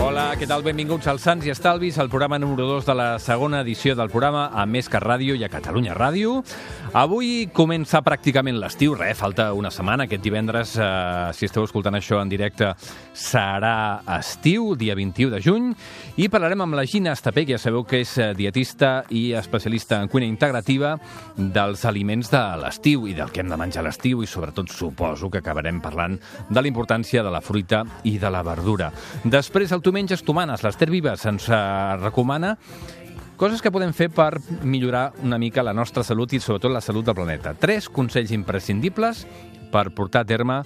Hola, què tal? Benvinguts als Sants i Estalvis, el programa número 2 de la segona edició del programa a Més que Ràdio i a Catalunya Ràdio. Avui comença pràcticament l'estiu, falta una setmana. Aquest divendres, si esteu escoltant això en directe, serà estiu, dia 21 de juny, i parlarem amb la Gina Estapé, que ja sabeu que és dietista i especialista en cuina integrativa, dels aliments de l'estiu i del que hem de menjar a l'estiu, i sobretot suposo que acabarem parlant de la importància de la fruita i de la verdura. Després, el Tu menges, tu manes. L'Ester Vives ens recomana coses que podem fer per millorar una mica la nostra salut i sobretot la salut del planeta. 3 consells imprescindibles per portar a terme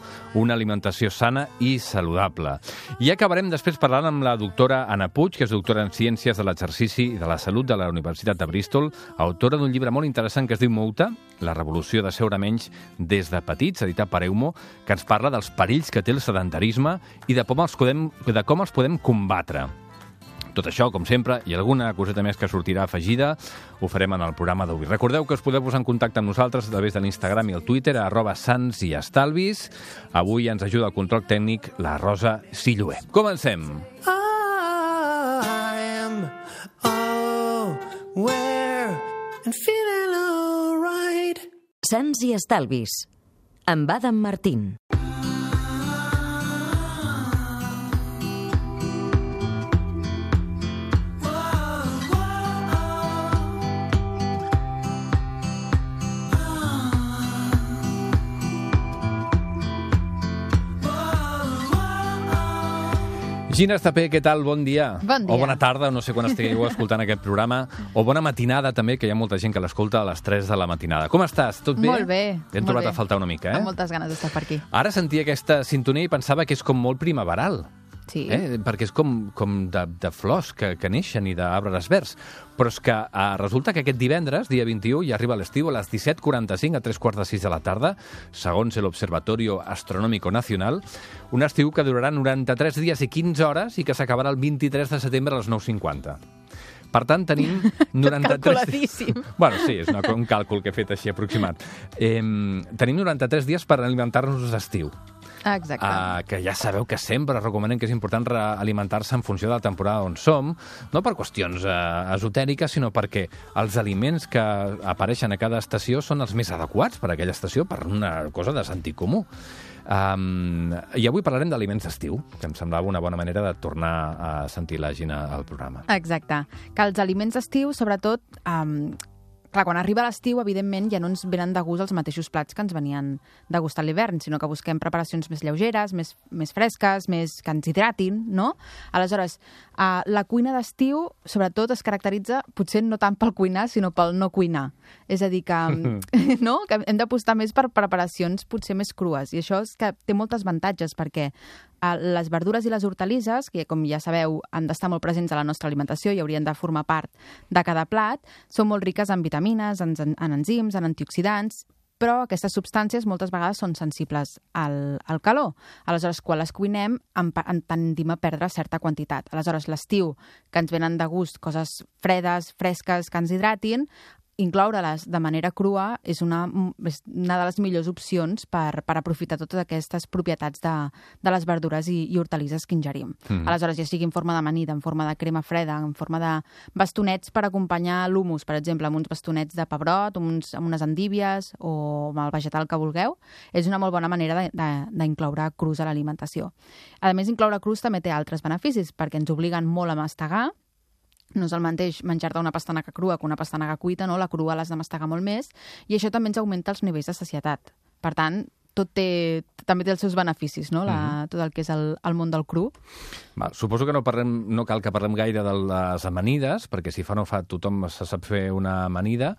una alimentació sana i saludable. I acabarem després parlant amb la doctora Anna Puig, que és doctora en Ciències de l'Exercici i de la Salut de la Universitat de Bristol, autora d'un llibre molt interessant que es diu Mouta, la revolució de seure menys des de petits, editat per Eumo, que ens parla dels perills que té el sedentarisme i de com els podem combatre. Tot això, com sempre, i alguna coseta més que sortirà afegida, ho farem en el programa d'avui. Recordeu que us podeu posar en contacte amb nosaltres a través de l'Instagram i el Twitter, @santsiestalvis. Avui ens ajuda al control tècnic la Rosa Silloé. Comencem! I am aware and feeling all right. Sants i Estalvis, amb Adam Martín. Gina Estapé, què tal? Bon dia. Bon dia. O bona tarda, no sé quan estigueu escoltant aquest programa. O bona matinada, també, que hi ha molta gent que l'escolta a les 3 de la matinada. Com estàs? Tot bé? Molt bé. T'hem trobat a faltar una mica, Amb moltes ganes d'estar per aquí. Ara sentia aquesta sintonia i pensava que és com molt primaveral. Sí. Perquè és com de flors que neixen i d'arbres verds. Però és que resulta que aquest divendres, dia 21, ja arriba l'estiu a les 17:45, a 3:45 de la tarda, segons l'Observatorio Astronómico Nacional, un estiu que durarà 93 dies i 15 hores i que s'acabarà el 23 de setembre a les 9:50. Per tant, tenim 93... Calculadíssim. Bueno, sí, és un càlcul que he fet així aproximat. Tenim 93 dies per alimentar-nos d'estiu. Exacte. Que ja sabeu que sempre recomanem que és important alimentar-se en funció de la temporada on som, no per qüestions esotèriques, sinó perquè els aliments que apareixen a cada estació són els més adequats per a aquella estació, per una cosa de sentit comú. I avui parlarem d'aliments d'estiu, que em semblava una bona manera de tornar a sentir la Gina al programa. Exacte. Que els aliments d'estiu, sobretot... Clar, quan arriba l'estiu, evidentment, ja no ens venen de gust els mateixos plats que ens venien de gust a l'hivern, sinó que busquem preparacions més lleugeres, més fresques, que ens hidratin, no? Aleshores, la cuina d'estiu, sobretot, es caracteritza potser no tant pel cuinar, sinó pel no cuinar. És a dir, que, no? Que hem d'apostar més per preparacions potser més crues. I això és que té molts avantatges, perquè les verdures i les hortalisses, que com ja sabeu han d'estar molt presents a la nostra alimentació i haurien de formar part de cada plat, són molt riques en vitamines, en enzims, en antioxidants, però aquestes substàncies moltes vegades són sensibles al calor. Aleshores, quan les cuinem, en tendim a perdre certa quantitat. Aleshores, l'estiu, que ens venen de gust coses fredes, fresques, que ens hidratin, incloure-les de manera crua és una de les millors opcions per aprofitar totes aquestes propietats de les verdures i hortalisses que ingerim. Aleshores, ja sigui en forma d'amanida, en forma de crema freda, en forma de bastonets per acompanyar l'humus, per exemple, amb uns bastonets de pebrot, amb unes endívies o amb el vegetal que vulgueu, és una molt bona manera d'incloure crus a l'alimentació. A més, incloure crus també té altres beneficis, perquè ens obliguen molt a mastegar. No és el mateix menjar-te una pastanaga crua que una pastanaga cuita, no? La crua l'has de mastegar molt més, i això també ens augmenta els nivells de sacietat. Per tant, també té els seus beneficis, no? Tot el que és el món del cru. Suposo que no cal que parlem gaire de les amanides, perquè si fa no fa tothom se sap fer una amanida,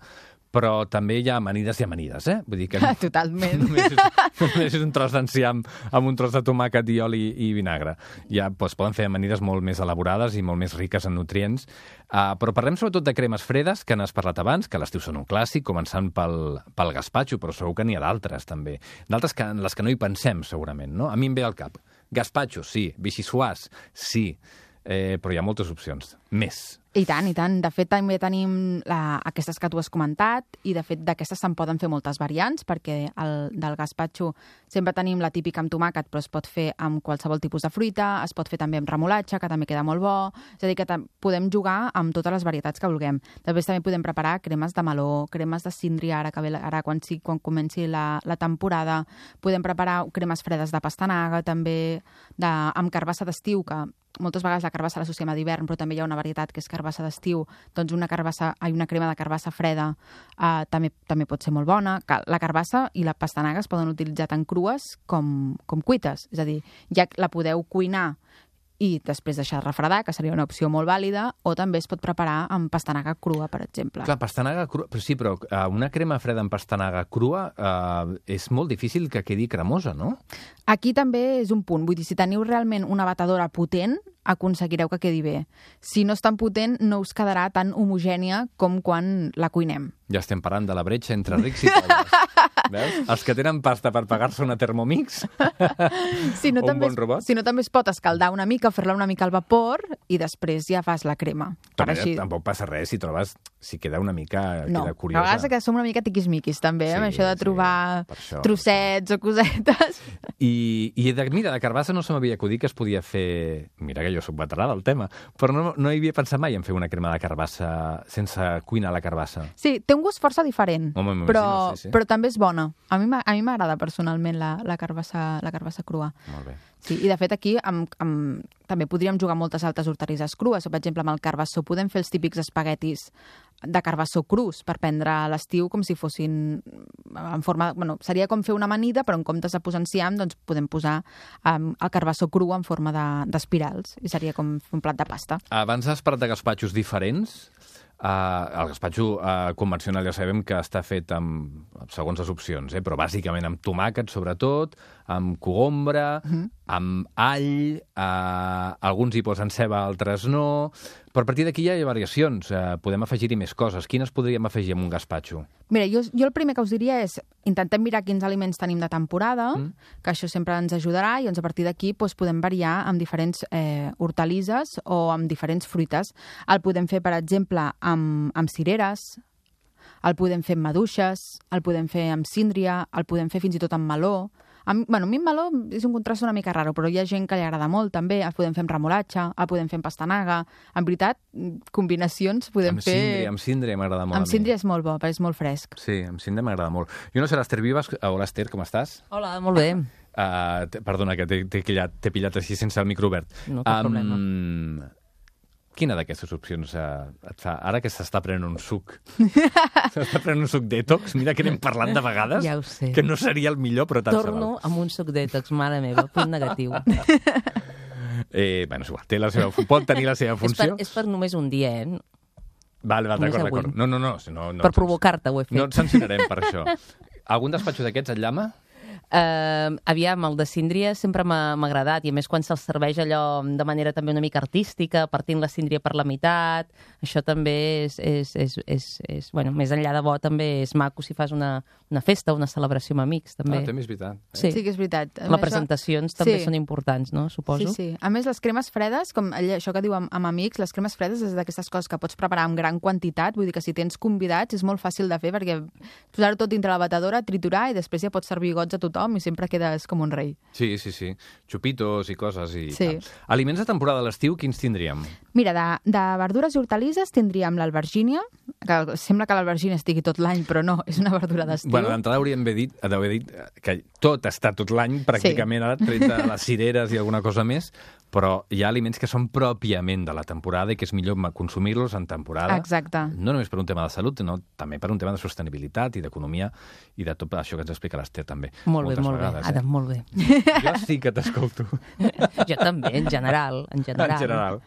però també hi ha amanides i amanides, Vull dir que Totalment. Només és un tros d'enciam amb un tros de tomàquet i oli i vinagre. Ja poden fer amanides molt més elaborades i molt més riques en nutrients. Però parlem sobretot de cremes fredes, que n'has parlat abans, que a l'estiu són un clàssic, començant pel gaspatxo, però segur que n'hi ha d'altres, també. D'altres en les que no hi pensem, segurament, no? A mi em ve al cap. Gaspatxo, sí. Vichyssoise, sí. però hi ha moltes opcions. Més. I tant, i tant. De fet, també tenim aquestes que tu has comentat i, de fet, d'aquestes se'n poden fer moltes variants perquè del gaspatxo sempre tenim la típica amb tomàquet, però es pot fer amb qualsevol tipus de fruita, es pot fer també amb remolatxa, que també queda molt bo. És a dir, que podem jugar amb totes les varietats que vulguem. Després també podem preparar cremes de meló, cremes de síndria, ara quan comenci la temporada. Podem preparar cremes fredes de pastanaga, també amb carbassa d'estiu, que moltes vegades la carbassa l'associem a d'hivern, però també hi ha una varietat que és carbassa d'estiu, doncs una crema de carbassa freda també pot ser molt bona. La carbassa i la pastanaga es poden utilitzar tant crues com cuites, és a dir, ja la podeu cuinar i després deixar refredar, que seria una opció molt vàlida, o també es pot preparar amb pastanaga crua, per exemple. Clar, pastanaga crua, però sí, però una crema freda amb pastanaga crua és molt difícil que quedi cremosa, no? Aquí també és un punt. Vull dir, si teniu realment una batedora potent, aconseguireu que quedi bé. Si no és tan potent, no us quedarà tan homogènia com quan la cuinem. Ja estem parlant de la bretxa entre rics i pobres. Veus? Els que tenen pasta per pagar-se una Thermomix si no, o un bon robot. Si no, també es pot escaldar una mica, fer-la una mica al vapor i després ja fas la crema. Però tampoc passa res si trobes, si queda una mica queda curiosa. A vegades que som una mica tiquismiquis també, amb això de trobar trossets o cosetes. I mira, de carbassa no se m'havia acudit que es podia fer... Mira que jo soc veterà del tema, però no hi havia pensat mai en fer una crema de carbassa sense cuinar la carbassa. Sí, té un gust força diferent, però també és bona. A mi m'agrada personalment la carbassa crua. Molt bé. Sí, i de fet aquí també podríem jugar moltes altres hortalisses crues. Per exemple, amb el carbassó podem fer els típics espaguetis de carbassó crus per prendre a l'estiu com si fossin en forma... Bueno, seria com fer una amanida, però en comptes de posar enciam, doncs podem posar el carbassó cru en forma d'espirals i seria com un plat de pasta. Abans has parlat de gaspatxos diferents. El gaspatxo convencional ja sabem que està fet segons les opcions, però bàsicament amb tomàquet, sobretot, amb cogombre, amb all, alguns hi posen ceba, altres no, però a partir d'aquí ja hi ha variacions, podem afegir-hi més coses. Quines podríem afegir en un gaspatxo? Mira, jo el primer que us diria és intentem mirar quins aliments tenim de temporada, que això sempre ens ajudarà, i doncs a partir d'aquí podem variar amb diferents hortalisses o amb diferents fruites. El podem fer, per exemple, amb cireres, el podem fer amb maduixes, el podem fer amb síndria, el podem fer fins i tot amb meló. A mi el meló és un contrast una mica raro, però hi ha gent que li agrada molt, també. El podem fer amb remolatxa, el podem fer amb pastanaga. En veritat, combinacions podem fer... Amb síndria m'agrada molt. Amb síndria és molt bo, perquè és molt fresc. Sí, amb síndria m'agrada molt. Jo no sé, l'Ester Vives... Hola, Ester, com estàs? Hola, molt bé. Perdona, que t'he pillat així sense el micro obert. No, cap problema. Quina d'aquestes opcions et fa? Ara que s'està prenent un suc. S'està prenent un suc detox. Mira que n'hem parlat de vegades. Ja ho sé. Que no seria el millor, però tant se val. Torno amb un suc detox, mare meva, punt negatiu. Bueno, és igual. Pot tenir la seva funció. És per només un dia, Vale, d'acord. No. Per provocar-te ho he fet. No et sancionarem per això. Algun despatxo d'aquests et llama? Aviam, el de síndria sempre m'ha agradat, i a més quan se'ls serveix allò de manera també una mica artística, partint la síndria per la meitat, això també és bueno, més enllà de bo, també és maco si fas una festa o una celebració amb amics, també. També és veritat. Sí que és veritat. Les presentacions també són importants, no? Suposo. Sí. A més, les cremes fredes, com això que diu amb amics, les cremes fredes és d'aquestes coses que pots preparar en gran quantitat, vull dir que si tens convidats és molt fàcil de fer, perquè posar-ho tot dintre la batedora, triturar, i després ja pots servir gots a tothom i sempre quedes com un rei. Sí. Xupitos i coses i tal. Aliments de temporada a l'estiu, quins tindríem? Mira, de verdures i hortalisses tindríem l'albergínia, que sembla que l'albergínia estigui tot l'any, però no, és una verdura d'estiu. Bueno, d'entrada hauríem d'haver dit que tot està tot l'any, pràcticament, ara, tret de les cireres i alguna cosa més, però hi ha aliments que són pròpiament de la temporada i que és millor consumir-los en temporada. Exacte. No només per un tema de salut, sinó també per un tema de sostenibilitat i d'economia i de tot això que ens explica l'Ester, també. Molt bé, Adam, molt bé. Jo sí que t'escolto. Jo també, en general. En general.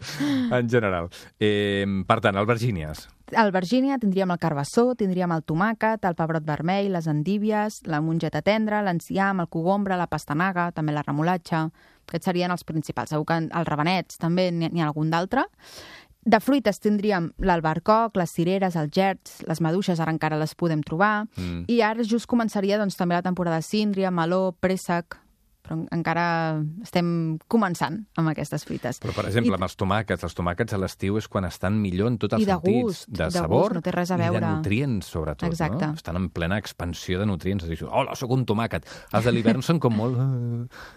Per tant, albergínies. Albergínia, tindríem el carbassó, tindríem el tomàquet, el pebrot vermell, les endívies, la mongeta tendra, l'enciam, el cogombre, la pastanaga, també la remolatxa. Aquests serien els principals. Segur que els rabanets també n'hi ha algun d'altre. De fruites tindríem l'albercoc, les cireres, els gerds, les maduixes, ara encara les podem trobar. I ara just començaria també la temporada de síndria, meló, préssec, però encara estem començant amb aquestes frites. Però, per exemple, amb els tomàquets a l'estiu és quan estan millor en tots els I de sentits. gust, De de sabor gust, no té res a i de veure. nutrients, sobretot. Exacte. No? Estan en plena expansió de nutrients. Dius, hola, sóc un tomàquet. Els de l'hivern són com molt...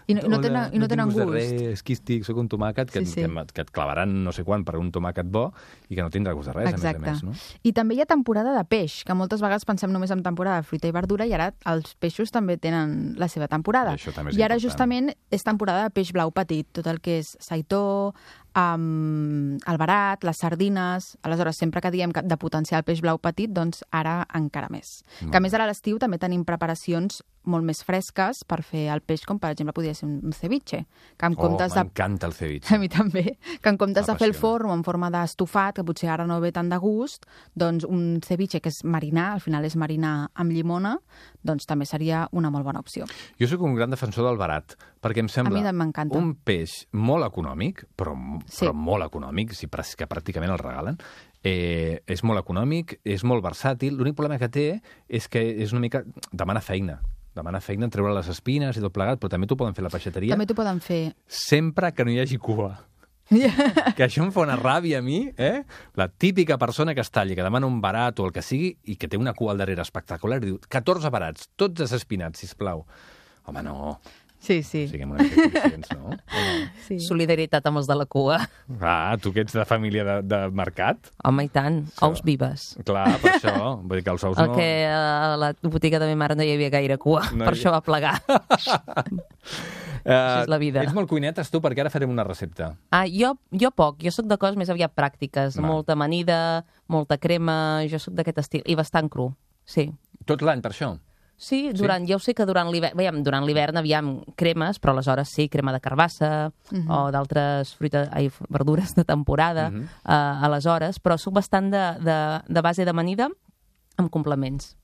I no hola, tenen tinc gust. De res, quístic, sóc un tomàquet, que, Sí. que et clavaran no sé quan per un tomàquet bo i que no tindrà gust de res, Exacte. a més. No? I també hi ha temporada de peix, que moltes vegades pensem només en temporada de fruita i verdura, i ara els peixos també tenen la seva temporada. I això també és I ara important. justament és temporada de peix blau petit, tot el que és saitó, el verat, les sardines. Aleshores, sempre que diem de potenciar el peix blau petit, doncs ara encara més. Que a més ara a l'estiu també tenim preparacions molt més fresques per fer el peix, com per exemple podria ser un ceviche, que en comptes de... M'encanta el ceviche. A mi també. Que en comptes de fer el M'apassiona. forn o en forma d'estofat, que potser ara no ve tant de gust, doncs un ceviche, que és marinar, al final és marinar amb llimona, doncs també seria una molt bona opció. Jo sóc un gran defensor del barat, perquè em sembla A mi també m'encanta. un peix molt econòmic, però Sí. molt econòmic, que pràcticament el regalen. És molt econòmic, és molt versàtil. L'únic problema que té és que és una mica... demana feina en treure les espines i tot plegat, però també t'ho poden fer a la peixateria, També t'ho poden fer. sempre que no hi hagi cua. Que això em fa una ràbia a mi, La típica persona que es talli, que demana un barat o el que sigui, i que té una cua al darrere espectacular, i diu, 14 barats, tots desespinats, sisplau. Home, no. Sí, sí. Siguem una mica conscients, no? sí. Solidaritat amb els de la cua. Ah, tu que ets de família de mercat? Home, i tant. Ous vives. Clar, per això. Vull dir que els ous El no... que a la botiga de ma mare no hi havia gaire cua, No per hi- això va plegar. és la vida. Ets molt cuinetes, tu, perquè ara farem una recepta. Jo poc, jo sóc de coses més aviat pràctiques. Val. Molta amanida, molta crema, jo sóc d'aquest estil. I bastant cru, sí. Tot l'any, per això? Sí, jo sé que durant l'hivern, aviam, cremes, però aleshores sí, crema de carbassa o d'altres verdures de temporada, aleshores, però sóc bastant de base d'amanida amb complements.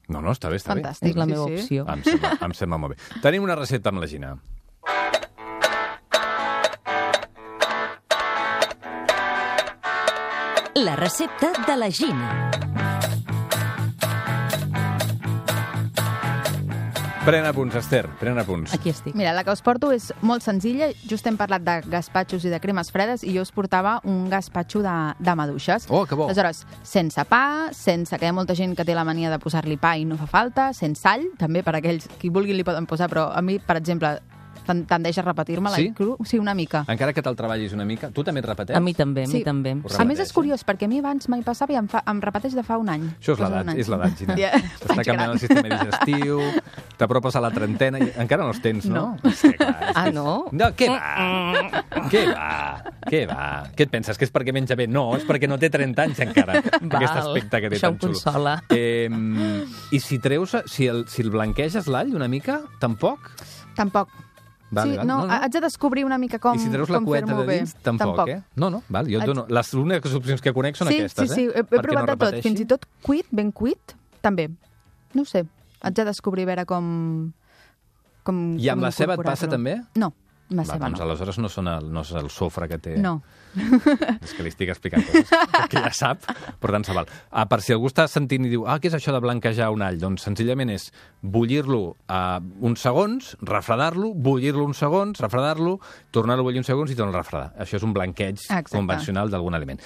No, està bé, està Fantàstic. És la Sí, meva sí. opció. bé. Em sembla molt bé. Tenim una recepta amb la Gina. La recepta de la Gina. Pren apunts, Esther, pren apunts. Aquí estic. Mira, la que us porto és molt senzilla. Just hem parlat de gaspatxos i de cremes fredes i jo us portava un gaspatxo de maduixes. Oh, que bo. Aleshores, sense pa, sense que hi ha molta gent que té la mania de posar-li pa i no fa falta, sense sall, també per aquells qui vulguin li poden posar, però a mi, per exemple, tendeix a repetir-me Sí? la cru. Sí, una mica. Encara que te'l treballis una mica, tu també et repeteix? A mi també, a mi Sí. també. Ho A més, repeteix, és curiós, perquè a mi abans mai passava i em repeteix de fa un any. Això és Cosa l'edat, d'un any. és l'edat, Gina. Ja, T'està vaig canviant gran. el sistema digestiu, t'apropes a la trentena i encara no els tens, no? No. És que, clar, és que... No? No, què va? Què va? Què va? Què et penses, que és perquè menja bé? No, és perquè no té 30 anys encara, aquest aspecte que té Això tan em xulo. consola. I si treus, si el blanqueges l'all una mica, tampoc? Tampoc. Vale, sí, vale. no, haig de descobrir una mica com I si treus com la cueta fer-m'ho de dins, bé. tampoc, eh? No, val, jo et dono... Les úniques opcions que conec són Sí, aquestes, sí, eh? he Perquè provat no de tot, repeteixi. fins i tot cuit, ben cuit, també. No ho sé, haig de descobrir a veure com I amb com la ceba et passa incorporar-lo. també? No, amb la Va, ceba doncs no. aleshores no és el sofre que té... No. És que li estic explicant coses que ja sap, per tant se val. Per si algú està sentint i diu què és això de blanquejar un all? Doncs senzillament és bullir-lo uns segons, refredar-lo, bullir-lo uns segons, refredar-lo, tornar-lo a bullir uns segons i tornar a refredar. Això és un blanqueig Exacte. convencional d'algun aliment.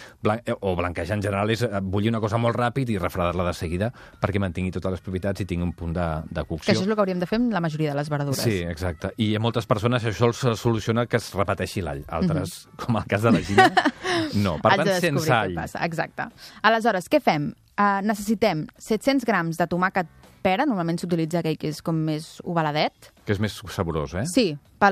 O blanquejar en general és bullir una cosa molt ràpid i refredar-la de seguida perquè mantingui totes les propietats i tingui un punt de cocció. Que això és el que hauríem de fer amb la majoria de les verdures. Sí, exacte. I a moltes persones això els soluciona que es repeteixi l'all. Altres, com el cas de la Gina, no. Per Haig tant, de descobrir sense què all. passa. Exacte. Aleshores, què fem? Necessitem 700 grams de tomàquet pera, normalment s'utilitza aquell que és com més ovaladet. Que és més saborós, eh? Sí, per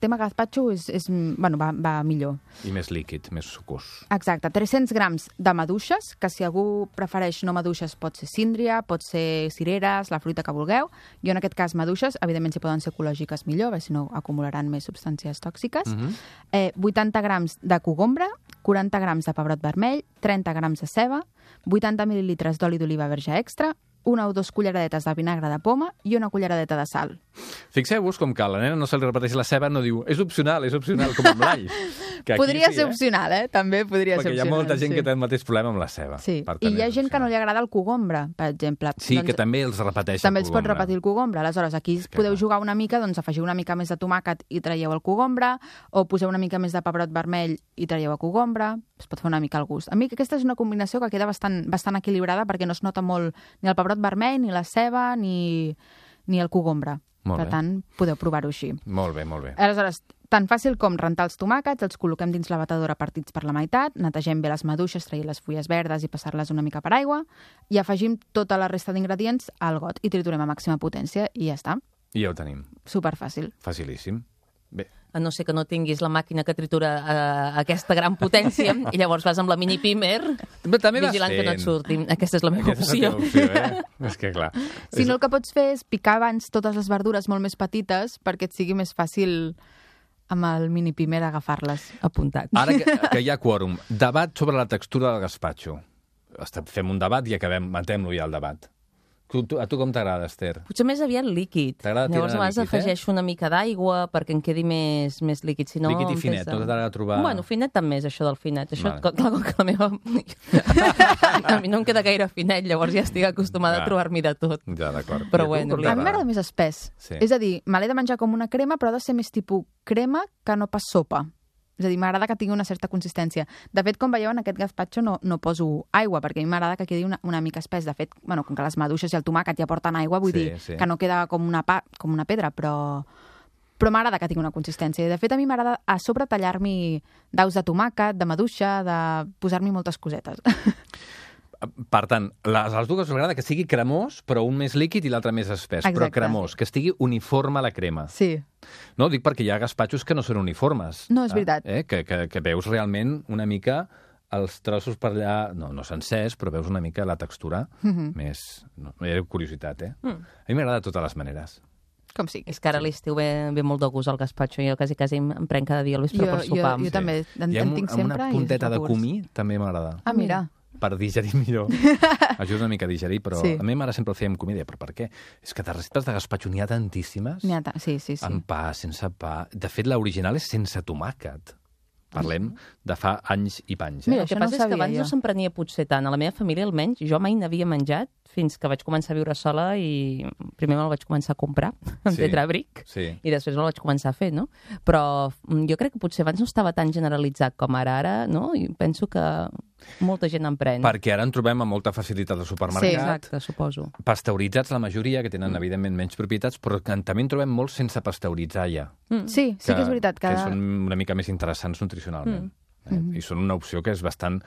tema gazpacho va millor. I més líquid, més sucós. Exacte, 300 grams de maduixes, que si algú prefereix no maduixes pot ser síndria, pot ser cireres, la fruita que vulgueu. Jo en aquest cas maduixes, evidentment si poden ser ecològiques millor, perquè si no acumularan més substàncies tòxiques. 80 grams de cogombre, 40 grams de pebrot vermell, 30 grams de ceba, 80 mil·lilitres d'oli d'oliva verge extra, 1 o 2 culleradetes de vinagre de poma i 1 culleradeta de sal. Fixeu-vos com que a la nena no se li repeteix la ceba, no diu és opcional, com amb l'all. Que aquí Podria sí, ser opcional, També podria ser Perquè hi ha opcional. molta gent sí. que té el mateix problema amb la ceba. Sí, Per i tant, hi ha és gent que no li opcional. agrada el cogombre, per exemple. Sí, que també els repeteix També el els pot cogombre. repetir el cogombre. Aleshores, aquí que podeu clar. jugar una mica, doncs afegiu una mica més de tomàquet i traieu el cogombre, o poseu una mica més de pebrot vermell i traieu el cogombre. Es pot fer una mica al gust. A mi aquesta és una combinació que queda bastant equilibrada perquè no es nota molt ni el pebrot vermell, ni la ceba, ni el cogombre. Molt Per bé. tant, podeu provar-ho així. Molt bé, molt bé. Aleshores, tan fàcil com rentar els tomàquets, els col·loquem dins la batedora partits per la meitat, netegem bé les maduixes, traient les fulles verdes i passar-les una mica per aigua, i afegim tota la resta d'ingredients al got i triturem a màxima potència i ja està. I ja ho tenim. Superfàcil. Facilíssim. Bé, A no ser que no tinguis la màquina que tritura aquesta gran potència i llavors vas amb la mini pimer però també vas vigilant que no et surti. Aquesta és la meva Aquesta és la opció. teva opció, És que clar. Si no, el que pots fer és picar abans totes les verdures molt més petites perquè et sigui més fàcil amb el mini pimer agafar-les. Apuntat. Ara que hi ha quòrum, debat sobre la textura del gazpacho. Fem un debat i matem-lo ja, el debat. A tu com t'agrada, Esther? Potser més aviat líquid. T'agrada tirar Llavors, a vegades líquid, afegeixo una mica d'aigua perquè em quedi més líquid. Si no, Líquid i em finet, pesa. no t'agrada trobar... Bueno, finet també és això del finet. Això, Vale. clar, com que la meva... a mi no em queda gaire finet, llavors ja estic acostumada Ja. a trobar-m'hi de tot. Ja, d'acord. Però I a tu bueno, com A mi t'agrada? m'agrada més espès. Sí. És a dir, me l'he de menjar com una crema, però ha de ser més tipus crema que no pas sopa. És a dir, m'agrada que tingui una certa consistència. De fet, com veieu, en aquest gazpacho no poso aigua, perquè a mi m'agrada que quedi una mica espès. De fet, bueno, com que les maduixes i el tomàquet ja porten aigua, vull Sí, dir sí. que no queda com una pedra, però m'agrada que tingui una consistència. I de fet, a mi m'agrada a sobre tallar-m'hi daus de tomàquet, de maduixa, de posar-m'hi moltes cosetes. Per tant, als dues us agrada que sigui cremós, però un més líquid i l'altre més espès. Però Exacte. cremós, que estigui uniforme la crema. Sí. No, dic perquè hi ha gazpachos que no són uniformes. No, és veritat. Que veus realment una mica els trossos per allà, no sencers, però veus una mica la textura més... No, era curiositat, A mi m'agrada de totes les maneres. Com sigui. És que ara a l'estiu ve molt de gust el gazpacho. Jo quasi em prenc cada dia al vespre per sopar. Jo també en I amb tinc amb sempre. una i punteta és de de gust. comí també m'agrada. Ah, mira. Per digerir millor. Ajuda una mica a digerir, però Sí. a mi mare sempre el feia amb comí. Però per què? És que de receptes de gazpacho n'hi ha tantíssimes. Sí. Amb pa, sense pa. De fet, l'original és sense tomàquet. Parlem de fa anys i panys. Mira, El que això no passa ho és que sabia abans jo. no se'n prenia potser tant. A la meva família, almenys, jo mai n'havia menjat fins que vaig començar a viure sola i primer me'l vaig començar a comprar en Sí. Tetrabric Sí. i després me'l vaig començar a fer, no? Però jo crec que potser abans no estava tan generalitzat com ara, no? I penso que molta gent en pren. Perquè ara en trobem amb molta facilitat al Sí, supermercat. Exacte, suposo. Pasteuritzats la majoria, que tenen, evidentment, menys propietats, però que també en trobem molts sense pasteuritzar ja. Sí que és veritat. Que són una mica més interessants nutricionalment. I són una opció que és bastant...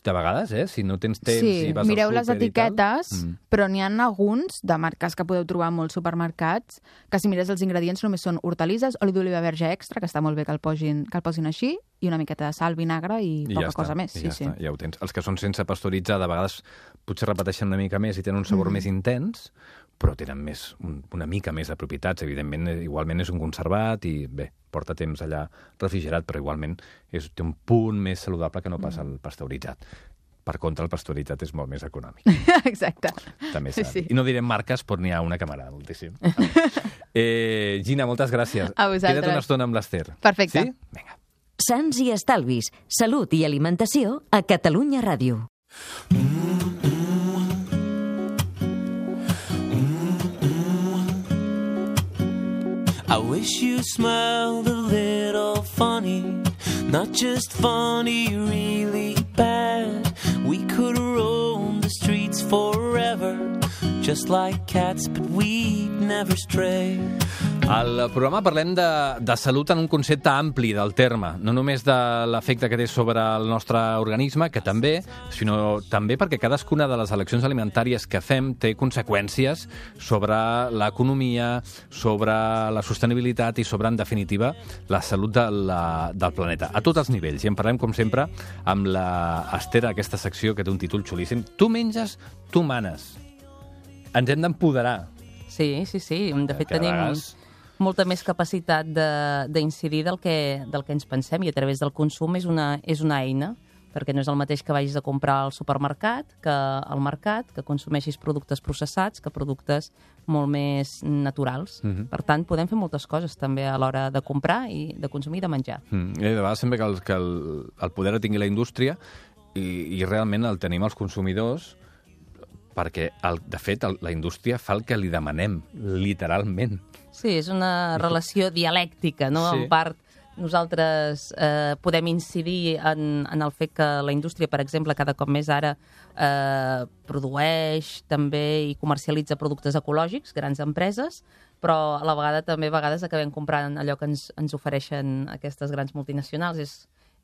De vegades, si no tens temps Sí, i vas mireu al les súper i tal, etiquetes, però n'hi ha alguns de marques que podeu trobar a molts supermercats que si mires els ingredients només són hortalisses, oli d'oliva verge extra, que està molt bé que el posin així, i una miqueta de sal, vinagre i poca cosa més. I ja ho tens. Els que són sense pasteuritzar, de vegades potser repeteixen una mica més i tenen un sabor més intens, però tenen una mica més de propietats. Evidentment, igualment és un conservat i, bé, porta temps allà refrigerat, però igualment té un punt més saludable que no pas el pasteuritzat. Per contra, el pasteuritzat és molt més econòmic. Exacte. També Sí, s'ha sí. dit. I no direm marques, però n'hi ha una que m'agrada moltíssim. Gina, moltes gràcies. A vosaltres. Queda't una estona amb l'Ester. Perfecte. Sí? Vinga. Sants i estalvis, salut i alimentació a Catalunya Ràdio. I wish you smiled a little funny, not just funny, really bad. We could roam the streets forever, just like cats, but we'd never stray. Al programa parlem de salut en un concepte ampli del terme, no només de l'efecte que té sobre el nostre organisme, que també, sinó també perquè cadascuna de les eleccions alimentàries que fem té conseqüències sobre l'economia, sobre la sostenibilitat i sobre, en definitiva, la salut del planeta, a tots els nivells. I en parlem, com sempre, amb l'Ester, aquesta secció que té un títol xulíssim. Tu menges, tu manes. Ens hem d'empoderar. Sí. De fet, Que a tenim vegades- molta més capacitat d'incidir del que ens pensem i a través del consum és una eina perquè no és el mateix que vagis a comprar al supermercat que al mercat, que consumeixis productes processats que productes molt més naturals. Per tant, podem fer moltes coses també a l'hora de comprar i de consumir i de menjar. I de vegades sembla que el poder el tingui la indústria i realment el tenim els consumidors perquè, de fet, la indústria fa el que li demanem, literalment. Sí, és una relació dialèctica, no? Sí. En part, nosaltres podem incidir en el fet que la indústria, per exemple, cada cop més ara produeix també i comercialitza productes ecològics, grans empreses, però a la vegada també a vegades acabem comprant allò que ens ofereixen aquestes grans multinacionals.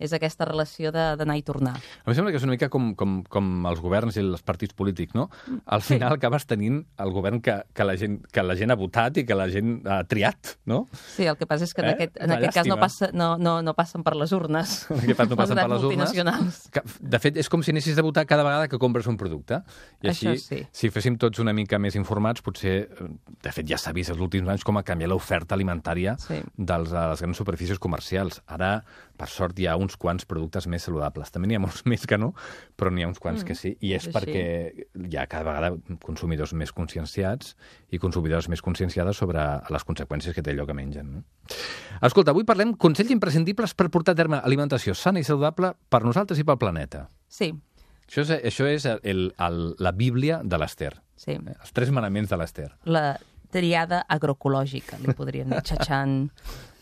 És aquesta relació d'anar i tornar. A mi sembla que és una mica com els governs i els partits polítics, no? Al final acabes tenint el govern que la gent ha votat i que la gent ha triat, no? Sí, el que passa és que en aquest cas no passen per les urnes. En aquest cas no passen per les urnes. De fet, és com si anessis a votar cada vegada que compres un producte. I així, sí. Si féssim tots una mica més informats, potser, de fet, ja s'ha vist els últims anys com ha canviat l'oferta alimentària de les grans superfícies comercials. Ara, per sort, hi ha uns quants productes més saludables. També n'hi ha molts més que no, però n'hi ha uns quants que sí. I és perquè hi ha cada vegada consumidors més conscienciats i consumidores més conscienciades sobre les conseqüències que té allò que mengen. No? Escolta, avui parlem consells imprescindibles per portar a terme alimentació sana i saludable per nosaltres i pel planeta. Sí. Això és la Bíblia de l'Ester. Sí. Els 3 manaments de l'Ester. La triada agroecològica, li podríem dir, xatxant.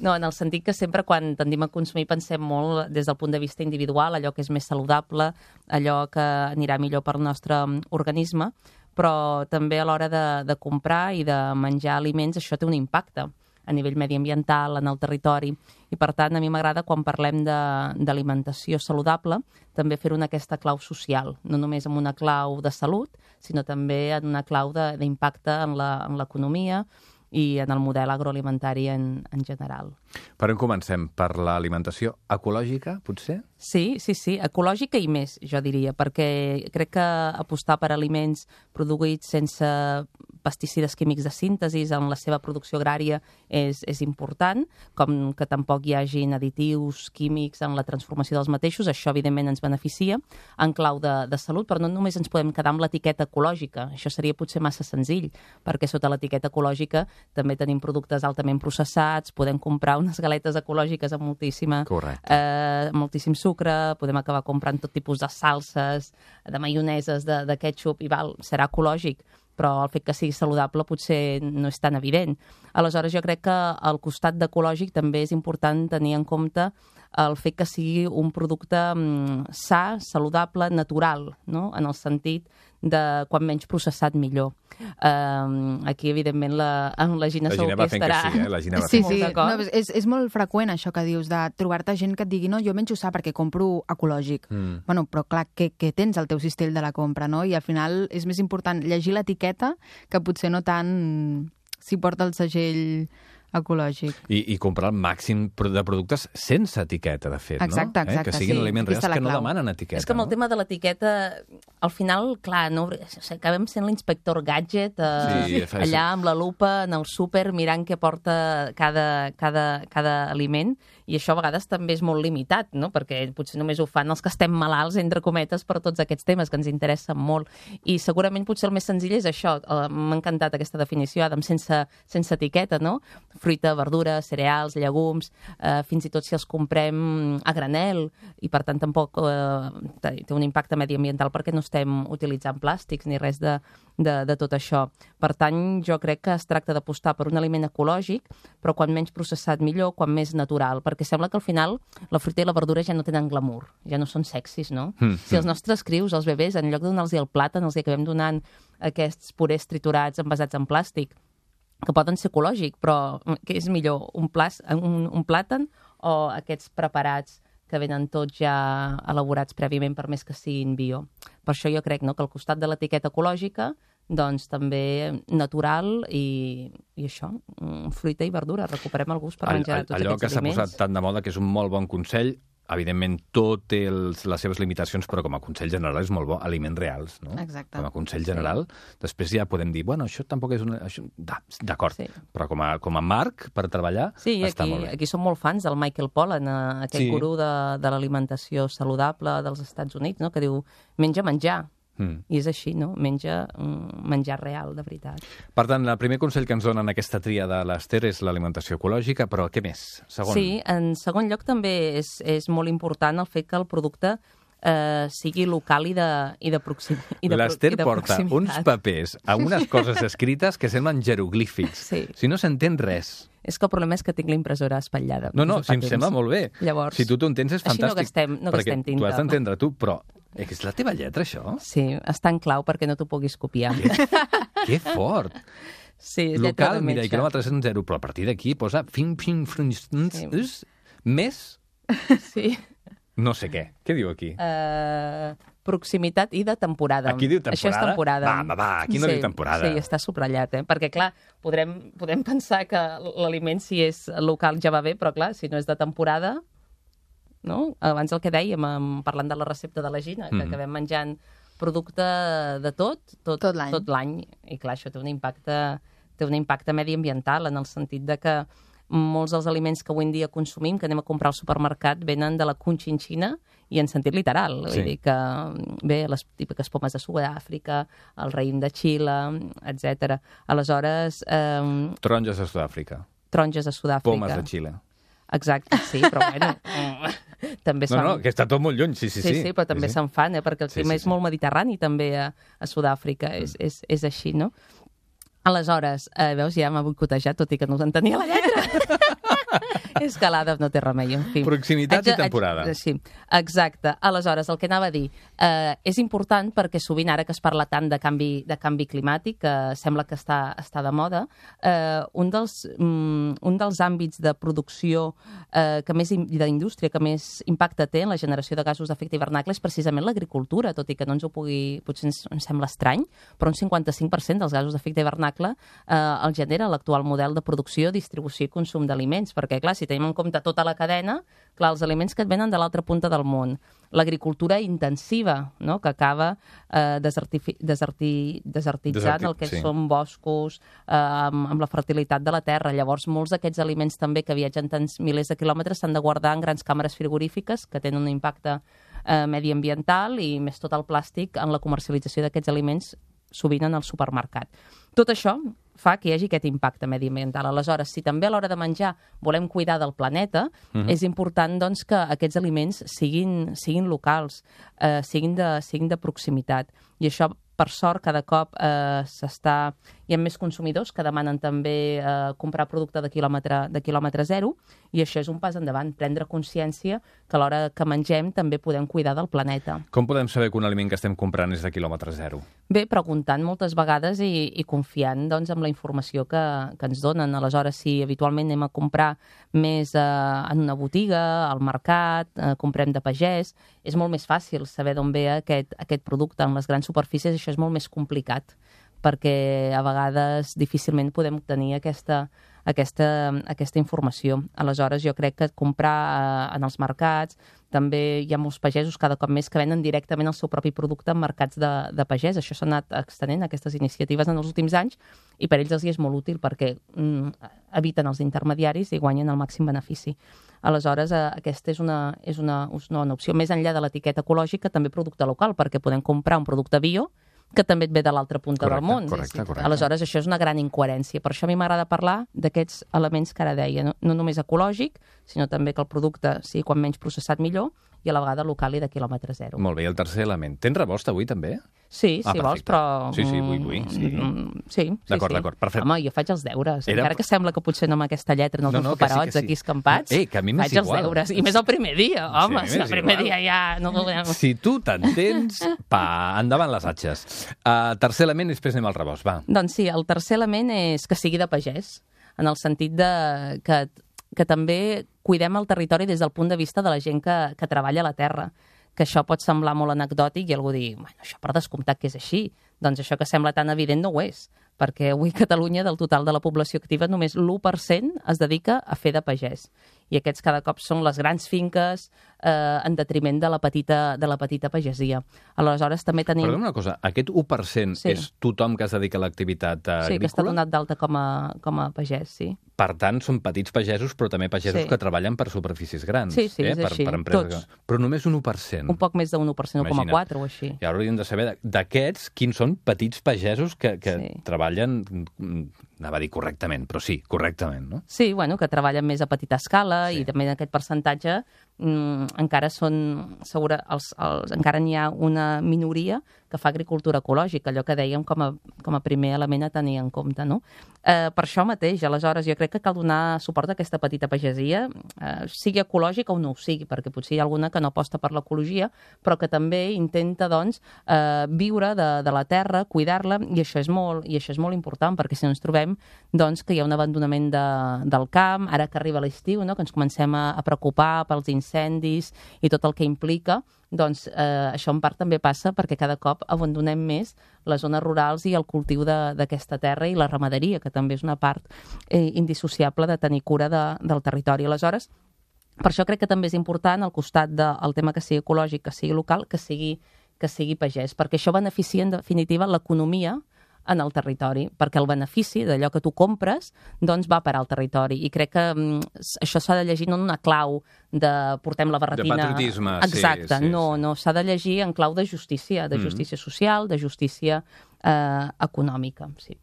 No, en el sentit que sempre quan tendim a consumir pensem molt des del punt de vista individual, allò que és més saludable, allò que anirà millor per al nostre organisme, però també a l'hora de comprar i de menjar aliments això té un impacte a nivell mediambiental, en el territori. I, per tant, a mi m'agrada, quan parlem d'alimentació saludable, també fer-ho en aquesta clau social, no només en una clau de salut, sinó també en una clau d'impacte en l'economia i en el model agroalimentari en general. Per on comencem? Per l'alimentació ecològica, potser? Sí, ecològica i més, jo diria, perquè crec que apostar per aliments produïts sense pesticides químics de síntesi en la seva producció agrària és important, com que tampoc hi hagin additius químics en la transformació dels mateixos, això evidentment ens beneficia en clau de salut, però no només ens podem quedar amb l'etiqueta ecològica, això seria potser massa senzill, perquè sota l'etiqueta ecològica també tenim productes altament processats, podem comprar unes galetes ecològiques amb moltíssim sucre, podem acabar comprant tot tipus de salses, de maioneses, de ketchup, i serà ecològic, però el fet que sigui saludable potser no és tan evident. Aleshores, jo crec que al costat d'ecològic també és important tenir en compte el fet que sigui un producte sa, saludable, natural, no? En el sentit de quan menys processat millor. Aquí, evidentment, la Gina segur que estarà... La Gina va fent que sí. No, és molt freqüent això que dius, de trobar-te gent que et digui no, jo menjo sa perquè compro ecològic. Bueno, però clar, què tens al teu cistell de la compra, no? I al final és més important llegir l'etiqueta que potser no tant si porta el segell ecològic. I comprar el màxim de productes sense etiqueta, de fet, exacte, no? Que siguin aliments reals que no demanen etiqueta. És que amb el tema de l'etiqueta, al final, clar, acabem sent l'inspector gadget allà amb la lupa en el súper mirant què porta cada aliment, i això a vegades també és molt limitat, no? Perquè potser només ho fan els que estem malalts, entre cometes, per tots aquests temes que ens interessen molt. I segurament potser el més senzill és això. M'ha encantat aquesta definició, Adam, sense etiqueta, no? Fruita, verdura, cereals, llegums, fins i tot si els comprem a granel, i per tant tampoc té un impacte mediambiental perquè no estem utilitzant plàstics ni res de tot això. Per tant, jo crec que es tracta d'apostar per un aliment ecològic, però quan menys processat millor, quan més natural, perquè sembla que al final la fruita i la verdura ja no tenen glamour, ja no són sexis, no? Si els nostres crius, els bebès, en lloc de donar-los el plàtan, els acabem donant aquests purés triturats envasats en plàstic, que poden ser ecològic, però què és millor, un plàtan o aquests preparats que venen tots ja elaborats prèviament, per més que siguin bio? Per això jo crec, no, que al costat de l'etiqueta ecològica, doncs també natural i això, fruita i verdura, recuperem el gust per menjar tots aquests aliments. Allò que s'ha posat tant de moda, que és un molt bon consell, evidentment, tot té les seves limitacions, però com a consell general és molt bo. Aliments reals, no? Exacte. Com a consell general. Després ja podem dir, bueno, això tampoc és una... D'acord, però com a marc per treballar està molt bé. Aquí som molt fans del Michael Pollan, aquest gurú de l'alimentació saludable dels Estats Units, no? Que diu, menjar. I és així, no? Menjar real, de veritat. Per tant, el primer consell que ens dona en aquesta tria de l'Ester és l'alimentació ecològica, però què més? Segon. Sí, en segon lloc també és molt important el fet que el producte sigui local i de proximitat. L'Ester porta uns papers amb unes coses escrites que semblen jeroglífics. Sí. Si no s'entén res. És que el problema és que tinc la impressora espatllada. No, si em sembla molt bé. Llavors, si tu t'entens és fantàstic. Així no gastem tinta. Tu has d'entendre tu, però és la teva lletra, això? Sí, està en clau perquè no t'ho puguis copiar. Que fort! Sí, és lletra de metge. Mira, i quilòmetres en 0, però a partir d'aquí posa més... Sí. No sé què. Què diu aquí? Proximitat i de temporada. Aquí diu temporada? Això és temporada. Va, aquí no diu temporada. Sí, està subratllat, perquè, clar, podem pensar que l'aliment, si és local, ja va bé, però, clar, si no és de temporada... No? Abans el que dèiem, parlant de la recepta de la Gina, que acabem menjant producte de tot l'any. I clar, això té un impacte mediambiental, en el sentit de que molts dels aliments que avui en dia consumim, que anem a comprar al supermercat, venen de la Conchinchina i en sentit literal. Sí. Vull dir que, bé, les típiques pomes de Sud-àfrica, el raïm de Xile, etc. Aleshores... Taronges de Sud-àfrica. Taronges de Sud-àfrica. Pomes de Xile. Exacte, sí, però bueno... també no, que està tot molt lluny, sí. Sí, però també se'n fan, perquè el clima és molt mediterrani també a Sud-àfrica, és així, no? Aleshores, veus, ja m'ha boicotejat, tot i que no entenia la lletra. És que l'Ada no té remei, en fi. Proximitat i temporada. Sí, exacte. Aleshores, el que anava a dir, és important perquè sovint, ara que es parla tant de canvi climàtic, que sembla que està de moda, un dels àmbits de producció d'indústria que més impacte té en la generació de gasos d'efecte hivernacle és precisament l'agricultura, tot i que no ens ho pugui... Potser ens sembla estrany, però un 55% dels gasos d'efecte hivernacle el genera l'actual model de producció, distribució i consum d'aliments, perquè, clar, si tenim en compte tota la cadena, clar, els aliments que et venen de l'altra punta del món, l'agricultura intensiva, no?, que acaba desertitzant el que són boscos, amb la fertilitat de la terra. Llavors, molts d'aquests aliments també que viatgen tants milers de quilòmetres s'han de guardar en grans càmeres frigorífiques que tenen un impacte mediambiental i més tot el plàstic en la comercialització d'aquests aliments sovint en el supermercat. Tot això fa que hi hagi aquest impacte mediambiental. Aleshores, si també a l'hora de menjar volem cuidar del planeta, és important doncs, que aquests aliments siguin locals, siguin de proximitat. I això, per sort, cada cop hi ha més consumidors que demanen també comprar producte de quilòmetre zero, i això és un pas endavant, prendre consciència que a l'hora que mengem també podem cuidar del planeta. Com podem saber que un aliment que estem comprant és de quilòmetre zero? Bé, preguntant moltes vegades i confiant doncs, en la informació que ens donen. Aleshores, si habitualment anem a comprar més en una botiga, al mercat, comprem de pagès, és molt més fàcil saber d'on ve aquest producte. En les grans superfícies això és molt més complicat, perquè a vegades difícilment podem obtenir aquesta informació. Aleshores, jo crec que comprar en els mercats, també hi ha molts pagesos cada cop més que venen directament el seu propi producte en mercats de pagès. Això s'ha anat extenent, aquestes iniciatives, en els últims anys, i per ells els hi és molt útil perquè eviten els intermediaris i guanyen el màxim benefici. Aleshores, aquesta és una bona opció. Més enllà de l'etiqueta ecològica, també producte local, perquè podem comprar un producte bio que també et ve de l'altra punta del món. Correcte. Aleshores, això és una gran incoherència. Per això a mi m'agrada parlar d'aquests elements que ara deia, no només ecològic, sinó també que el producte sigui quan menys processat millor, i a la vegada local i de quilòmetre zero. Molt bé, i el tercer element. Tens rebost avui, també? Sí, si vols, però... Sí, vull. Sí. D'acord, perfecte. Home, jo faig els deures. Encara que sembla que potser no amb aquesta lletra, no els meus paperots aquí escampats, que a mi m'és faig els deures. I més el primer dia, home, si el primer dia ja... Si tu t'entens, endavant les atxes. Tercer element, i després anem al rebost, va. Doncs sí, el tercer element és que sigui de pagès, en el sentit que també cuidem el territori des del punt de vista de la gent que treballa a la terra, que això pot semblar molt anecdòtic i algú dir, bueno, això per descomptat que és així. Doncs això que sembla tan evident no ho és, perquè avui a Catalunya, del total de la població activa, només l'1% es dedica a fer de pagès. i aquests cada cop són les grans finques en detriment de la petita pagesia. Aleshores, també tenim... Perdona una cosa, aquest 1% és tothom que es dedica a l'activitat agrícola? Sí, que està donat d'alta com a pagès, sí. Per tant, són petits pagesos, però també pagesos que treballen per superfícies grans. Sí, és així. Per empreses. Però només un 1%. Un poc més d'un 1%, 1,4 o així. I ara hauríem de saber d'aquests quins són petits pagesos que treballen, anava a dir correctament, però sí, correctament, no? Sí, bueno, que treballen més a petita escala i també en aquest percentatge encara encara n'hi ha una minoria que fa agricultura ecològica, allò que dèiem com a primer element a tenir en compte, no? Per això mateix, aleshores, jo crec que cal donar suport a aquesta petita pagesia, sigui ecològica o no ho sigui, perquè potser hi ha alguna que no aposta per l'ecologia, però que també intenta, doncs, viure de la terra, cuidar-la, i això és molt important, perquè si no ens trobem doncs, que hi ha un abandonament del camp, ara que arriba l'estiu, no? Que ens comencem a preocupar pels incendis i tot el que implica, doncs això en part també passa perquè cada cop abandonem més les zones rurals i el cultiu d'aquesta terra i la ramaderia, que també és una part indissociable de tenir cura del territori. Aleshores, per això crec que també és important, al costat del tema que sigui ecològic, que sigui local, que sigui pagès, perquè això beneficia, en definitiva, l'economia en el territori, perquè el benefici d'allò que tu compres doncs va parar al territori. I crec que això s'ha de llegir no en una clau de portem la barretina... De patriotisme, exacte, sí. No, s'ha de llegir en clau de justícia social, de justícia econòmica, sí.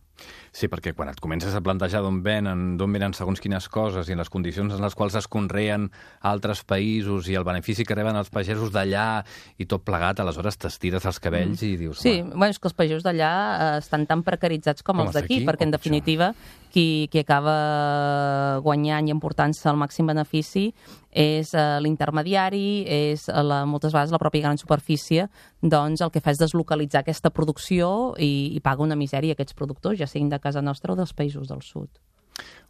Sí, perquè quan et comences a plantejar d'on venen segons quines coses i en les condicions en les quals es conreen a altres països i el benefici que reben els pagesos d'allà i tot plegat, aleshores t'estires els cabells i dius... Sí, bueno, és que els pagesos d'allà estan tan precaritzats com els d'aquí, perquè en definitiva qui acaba guanyant i emportant-se el màxim benefici és l'intermediari, és moltes vegades la pròpia gran superfície, doncs el que fa és deslocalitzar aquesta producció i paga una misèria a aquests productors, ja siguin de casa nostra o dels països del sud.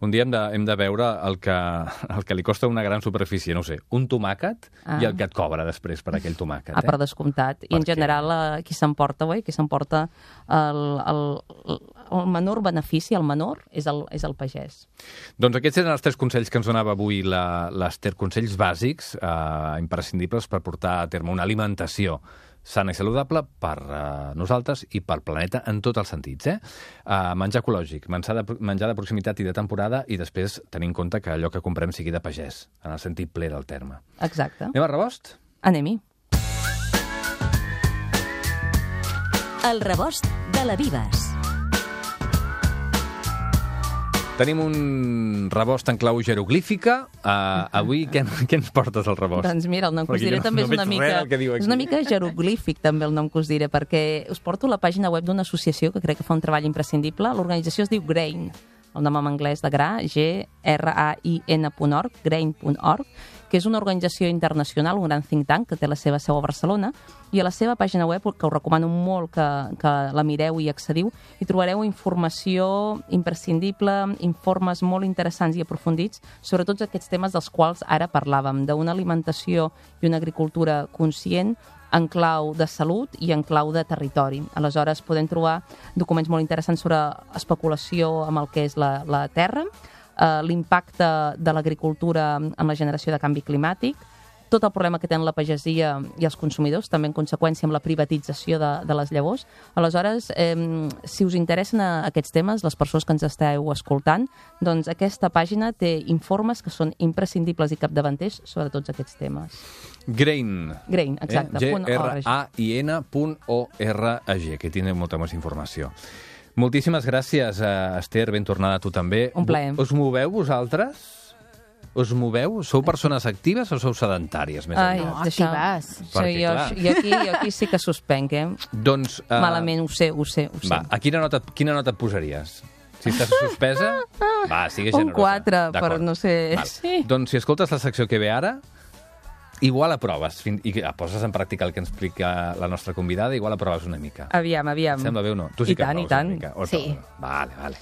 Un dia hem de veure el que li costa una gran superfície, no ho sé, un tomàquet i el que et cobra després per aquell tomàquet. Per descomptat. I en general qui s'emporta el menor benefici, el menor, és el pagès. Doncs aquests eren els 3 consells que ens donava avui l'Ester, consells bàsics, imprescindibles per portar a terme una alimentació sana i saludable per nosaltres i pel planeta en tots els sentits. Menjar ecològic, menjar de proximitat i de temporada i després tenir en compte que allò que comprem sigui de pagès, en el sentit ple del terme. Exacte. Anem a rebost? Anem-hi. El rebost de la Vives. Tenim un rebost en clau jeroglífica. Avui què ens portes al rebost? Doncs mira, el nom que us diré també és una mica jeroglífic, també el nom que us diré, perquè us porto la pàgina web d'una associació que crec que fa un treball imprescindible. L'organització es diu GRAIN, el nom en anglès de gra, grain.org, grain.org, que és una organització internacional, un gran think tank que té la seva seu a Barcelona, i a la seva pàgina web, que us recomano molt que la mireu i accediu, hi trobareu informació imprescindible, informes molt interessants i aprofundits sobre tots aquests temes dels quals ara parlàvem, d'una alimentació i una agricultura conscient en clau de salut i en clau de territori. Aleshores, podem trobar documents molt interessants sobre especulació amb el que és la terra, l'impacte de l'agricultura en la generació de canvi climàtic, tot el problema que tenen la pagesia i els consumidors, també en conseqüència amb la privatització de les llavors. Aleshores, si us interessen aquests temes, les persones que ens esteu escoltant, doncs aquesta pàgina té informes que són imprescindibles i capdavanters sobre tots aquests temes. Grain. Grain, exacte. grain.org, que tindreu molta més informació. Moltíssimes gràcies, Ester, ben tornada a tu també. Un plaer. Us moveu vosaltres? Us moveu? Sou persones actives o sou sedentàries? Més No, actives. Jo aquí sí que suspenc, Doncs... Malament, ho sé. Va, a quina nota et posaries? Si estàs suspesa? Va, sigues generosa. Un 4, però no sé... Sí. Doncs si escoltes la secció que ve ara, igual aproves, i poses en pràctica el que ens explica la nostra convidada, igual aproves una mica. Aviam. Et sembla bé o no? Tu sí que aproves una mica. Sí. Vale.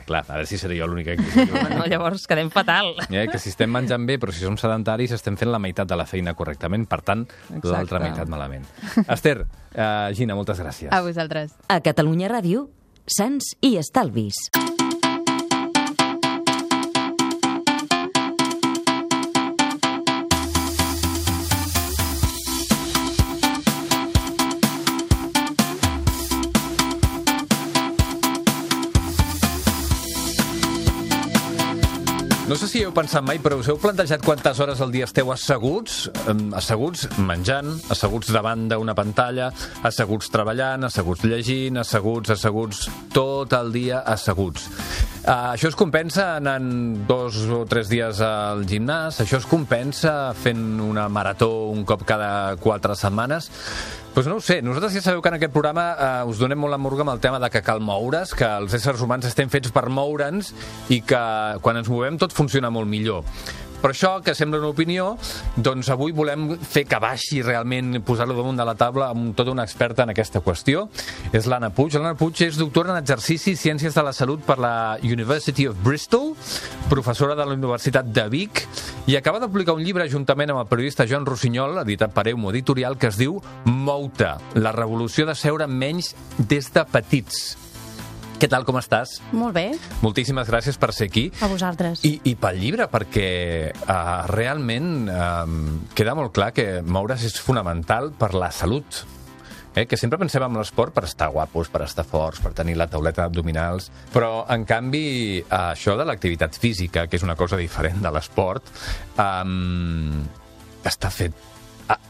Clar, a veure si seré jo l'única que... No, llavors quedem fatal. Que si estem menjant bé, però si som sedentaris, estem fent la meitat de la feina correctament, per tant, l'altra meitat malament. Ester, Gina, moltes gràcies. A vosaltres. A Catalunya Ràdio, Sants i Estalvis. No sé si heu pensat mai, però us heu plantejat quantes hores al dia esteu asseguts? Asseguts menjant, asseguts davant d'una pantalla, asseguts treballant, asseguts llegint, asseguts, tot el dia asseguts. Això es compensa anant 2 o 3 dies al gimnàs, això es compensa fent una marató un cop cada 4 setmanes. Doncs no ho sé, nosaltres ja sabeu que en aquest programa us donem molt la murga amb el tema de que cal moure's, que els éssers humans estem fets per moure'ns i que quan ens movem tot funciona molt millor. Per això, que sembla una opinió, doncs avui volem fer que baixi realment, posar-lo damunt de la taula amb tota una experta en aquesta qüestió. És l'Anna Puig. L'Anna Puig és doctora en exercici i ciències de la salut per la University of Bristol, professora de la Universitat de Vic, i acaba de publicar un llibre juntament amb el periodista Joan Rossinyol, editat per Eumo Editorial, que es diu Mou-te, la revolució de seure menys des de petits. Què tal, com estàs? Molt bé. Moltíssimes gràcies per ser aquí. A vosaltres. I pel llibre, perquè realment queda molt clar que moure's és fonamental per la salut. Que sempre pensem en l'esport per estar guapos, per estar forts, per tenir la tauleta d'abdominals, però, en canvi, això de l'activitat física, que és una cosa diferent de l'esport, està fet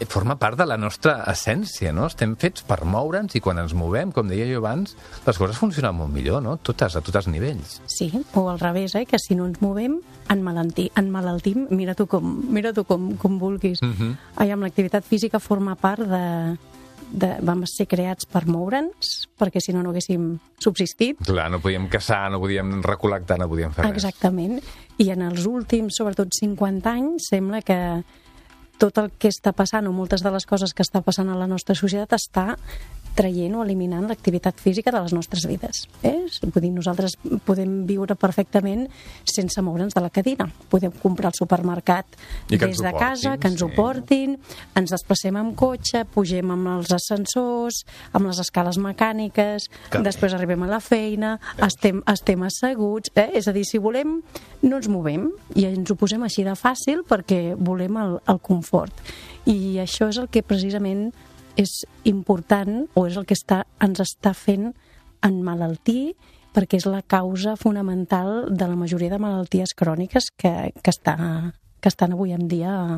forma part de la nostra essència, no? Estem fets per moure'ns i quan ens movem, com deia jo abans, les coses funcionen molt millor, no? A tots nivells. Sí, o al revés, que si no ens movem, enmalaltim, mira tu com vulguis. Amb l'activitat física forma part vam ser creats per moure'ns, perquè si no haguéssim subsistit. Clar, no podíem caçar, no podíem recol·lectar, no podíem fer res. Exactament. I en els últims, sobretot 50 anys, sembla que tot el que està passant, o moltes de les coses que està passant a la nostra societat, està traient o eliminant l'activitat física de les nostres vides. Vull dir, nosaltres podem viure perfectament sense moure'ns de la cadira. Podem comprar al supermercat des de casa, que ens ho portin, ens desplacem amb cotxe, pugem amb els ascensors, amb les escales mecàniques, després arribem a la feina, estem asseguts. És a dir, si volem, no ens movem i ens ho posem així de fàcil perquè volem el confort. I això és el que precisament és important, o és el que ens està fent emmalaltir, perquè és la causa fonamental de la majoria de malalties cròniques que estan avui en dia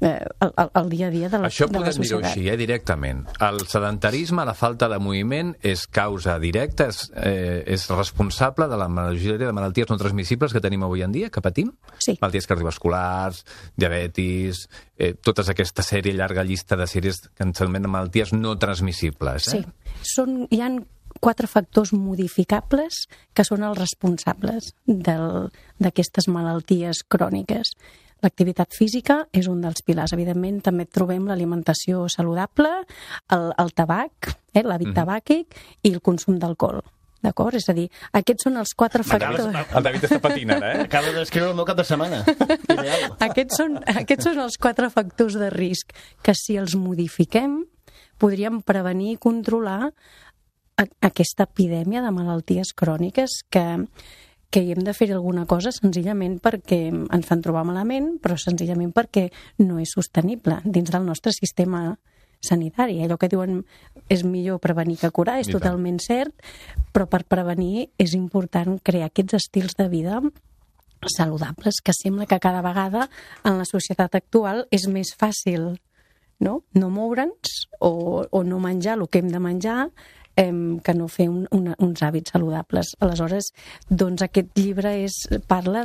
al dia a dia de la societat. Això podem dir-ho així, directament. El sedentarisme, la falta de moviment, és causa directa, és responsable de la majoria de malalties no transmissibles que tenim avui en dia, que patim? Sí. Malalties cardiovasculars, diabetis, tota aquesta sèrie, llarga llista de sèries que ens anomenen malalties no transmissibles. Sí. Hi ha 4 factors modificables que són els responsables d'aquestes malalties cròniques. L'activitat física és un dels pilars. Evidentment, també trobem l'alimentació saludable, el tabac, l'hàbit tabàquic i el consum d'alcohol. D'acord? És a dir, aquests són els 4 factors... El David està patint ara, Acaba d'escriure el meu cap de setmana. Ideal. Aquests són els 4 factors de risc que, si els modifiquem, podríem prevenir i controlar aquesta epidèmia de malalties cròniques que hi hem de fer alguna cosa senzillament perquè ens fan trobar malament, però senzillament perquè no és sostenible dins del nostre sistema sanitari. Allò que diuen és millor prevenir que curar, és totalment cert, però per prevenir és important crear aquests estils de vida saludables, que sembla que cada vegada en la societat actual és més fàcil no moure'ns o no menjar el que hem de menjar, que no fer uns hàbits saludables. Aleshores, doncs aquest llibre parla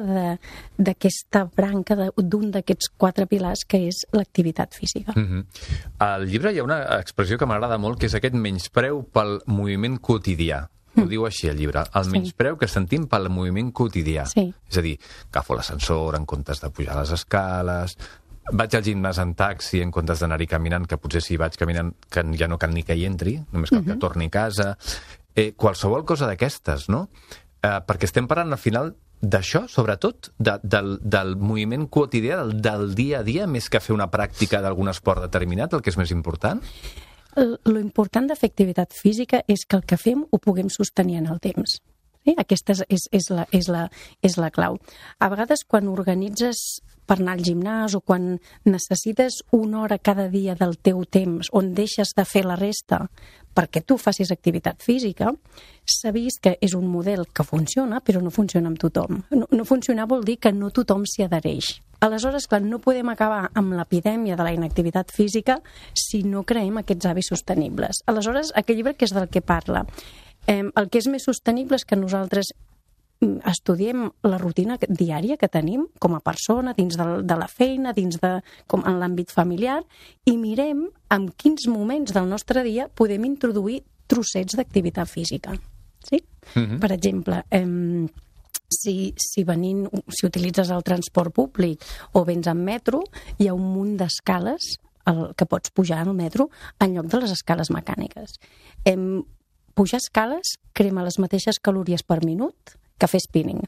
d'aquesta branca d'un d'aquests 4 pilars que és l'activitat física. Al llibre hi ha una expressió que m'agrada molt, que és aquest menyspreu pel moviment quotidià. Ho diu així el llibre, el menyspreu que sentim pel moviment quotidià. Sí. És a dir, agafo l'ascensor en comptes de pujar les escales, vaig al gimnàs en taxi en comptes d'anar-hi caminant, que potser si vaig caminant que ja no cal ni que hi entri, només cal que torni a casa. Qualsevol cosa d'aquestes, no? Perquè estem parlant al final d'això, sobretot, del moviment quotidià, del dia a dia, més que fer una pràctica d'algun esport determinat, el que és més important? Lo important de fer activitat física és que el que fem ho puguem sostenir en el temps. Aquesta és la clau. A vegades, quan organitzes per anar al gimnàs o quan necessites una hora cada dia del teu temps on deixes de fer la resta perquè tu facis activitat física, s'ha vist que és un model que funciona, però no funciona amb tothom. No funcionar vol dir que no tothom s'hi adhereix. Aleshores, clar, no podem acabar amb l'epidèmia de la inactivitat física si no creem aquests hàbits sostenibles. Aleshores, aquest llibre, que és del que parla? El que és més sostenible és que nosaltres estudiem la rutina diària que tenim com a persona, dins de la feina, com en l'àmbit familiar, i mirem en quins moments del nostre dia podem introduir trossets d'activitat física. Sí? Per exemple, si utilitzes el transport públic o vens en metro, hi ha un munt d'escales que pots pujar al metro en lloc de les escales mecàniques. Pujar escales crema les mateixes calories per minut que fer spinning.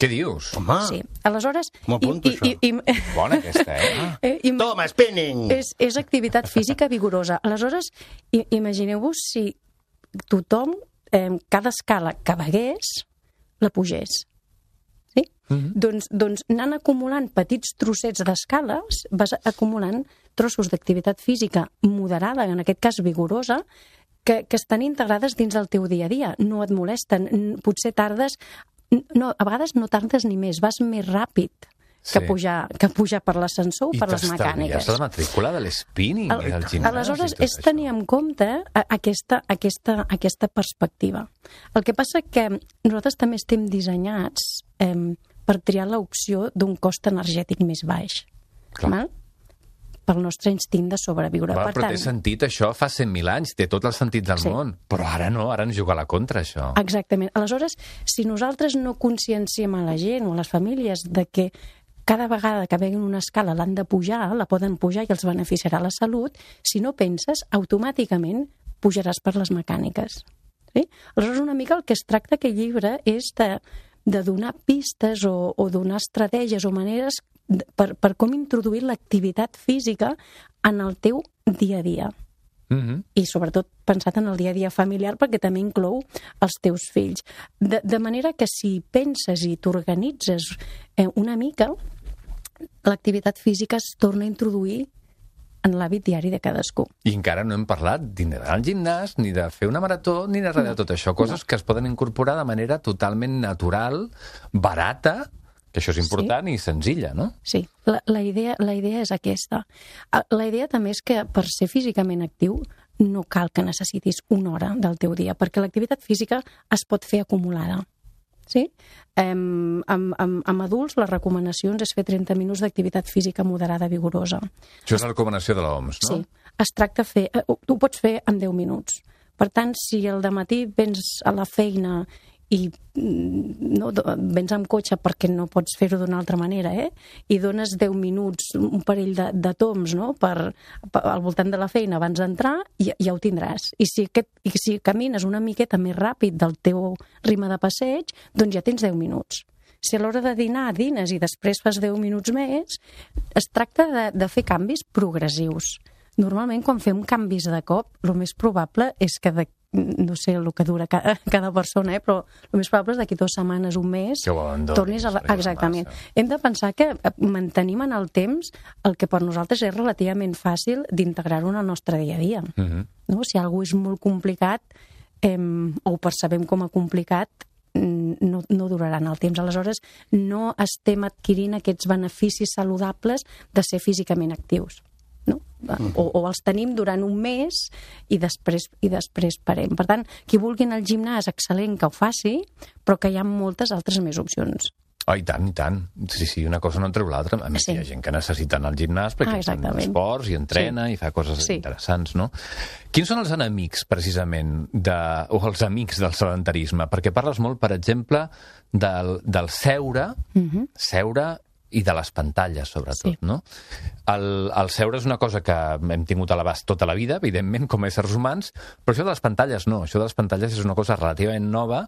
Què dius? Home, Sí. Aleshores... m'ho apunto, això. Bona aquesta, Toma, spinning! És activitat física vigorosa. Aleshores, imagineu-vos si tothom, cada escala que vegués, la pugés. Sí? Doncs anant acumulant petits trossets d'escales, vas acumulant trossos d'activitat física moderada, en aquest cas vigorosa, que estan integrades dins del teu dia a dia. No et molesten. Potser tardes... a vegades no tardes ni més. Vas més ràpid que pujar per l'ascensor o per les mecàniques. I t'estalvies la matrícula de l'spinning i del gimnàs. Aleshores, és tenir en compte aquesta perspectiva. El que passa que nosaltres també estem dissenyats per triar l'opció d'un cost energètic més baix. Val? Pel nostre instint de sobreviure. Però té sentit, això fa 100.000 anys, té tots els sentits del món. Però ara no, ara ens juga a la contra, això. Exactament. Aleshores, si nosaltres no conscienciem a la gent o a les famílies de que cada vegada que veguin una escala l'han de pujar, la poden pujar i els beneficiarà la salut, si no penses, automàticament pujaràs per les mecàniques. Sí? Aleshores, una mica el que es tracta aquest llibre és de donar pistes o donar estratègies o maneres per com introduir l'activitat física en el teu dia a dia. I sobretot pensat en el dia a dia familiar, perquè també inclou els teus fills. De manera que si penses i t'organitzes una mica, l'activitat física es torna a introduir en l'hàbit diari de cadascú. I encara no hem parlat d'anar al gimnàs, ni de fer una marató, ni de res de tot això. Coses que es poden incorporar de manera totalment natural, barata, que això és important, i senzilla, no? Sí, la idea és aquesta. La idea també és que per ser físicament actiu no cal que necessitis una hora del teu dia, perquè l'activitat física es pot fer acumulada. Sí? Amb adults les recomanacions és fer 30 minuts d'activitat física moderada vigorosa. Això és la recomanació de l'OMS, no? Sí, es tracta de fer... Tu ho pots fer en 10 minuts. Per tant, si al dematí vens a la feina i vens amb cotxe perquè no pots fer-ho d'una altra manera, i dones 10 minuts, un parell de toms, no? Al voltant de la feina abans d'entrar, ja ho tindràs. I si camines una miqueta més ràpid del teu ritme de passeig, doncs ja tens 10 minuts. Si a l'hora de dinar dines i després fas 10 minuts més, es tracta de fer canvis progressius. Normalment, quan fem canvis de cop, el més probable és que no sé el que dura cada persona, però el més probable és d'aquí 2 setmanes, un mes, tornis a... Exactament. Hem de pensar que mantenim en el temps el que per nosaltres és relativament fàcil d'integrar-ho en el nostre dia a dia. No? Si alguna és molt complicat o ho percebem com a complicat, no durarà en el temps. Aleshores, no estem adquirint aquests beneficis saludables de ser físicament actius. No? O els tenim durant un mes i després parem. Per tant, qui vulgui anar al gimnàs, excel·lent que ho faci, però que hi ha moltes altres més opcions. Oh, i tant, i tant. Sí, una cosa no treu l'altra. A més, hi ha gent que necessita anar al gimnàs perquè fan esports i entrena i fa coses interessants, no? Quins són els enemics, precisament, o els amics del sedentarisme? Perquè parles molt, per exemple, del seure i de les pantalles, sobretot, no? El seure és una cosa que hem tingut a l'abast tota la vida, evidentment, com a éssers humans, però això de les pantalles no. Això de les pantalles és una cosa relativament nova.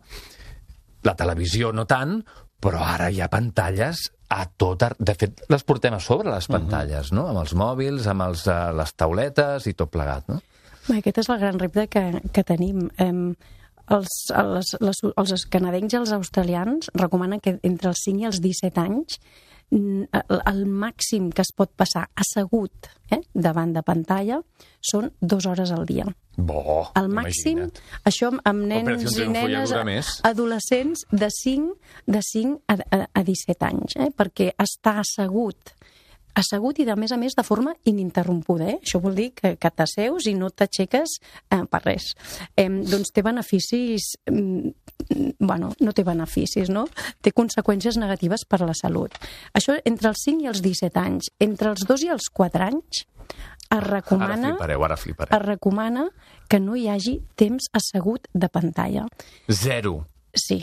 La televisió no tant, però ara hi ha pantalles a tot... De fet, les portem a sobre, les pantalles, no? Amb els mòbils, amb les tauletes i tot plegat, no? Aquest és el gran repte que tenim. els canadencs i els australians recomanen que entre els 5 i els 17 anys el màxim que es pot passar assegut davant de pantalla són 2 hores al dia. El màxim, això amb nens i nenes adolescents de 5 a 17 anys, perquè està assegut i, a més, de forma ininterrompuda. Això vol dir que t'asseus i no t'aixeques per res. Doncs té beneficis... no té beneficis, no? Té conseqüències negatives per a la salut. Això entre els 5 i els 17 anys. Entre els 2 i els 4 anys es recomana... Ara flipareu. Es recomana que no hi hagi temps assegut de pantalla. 0. Sí.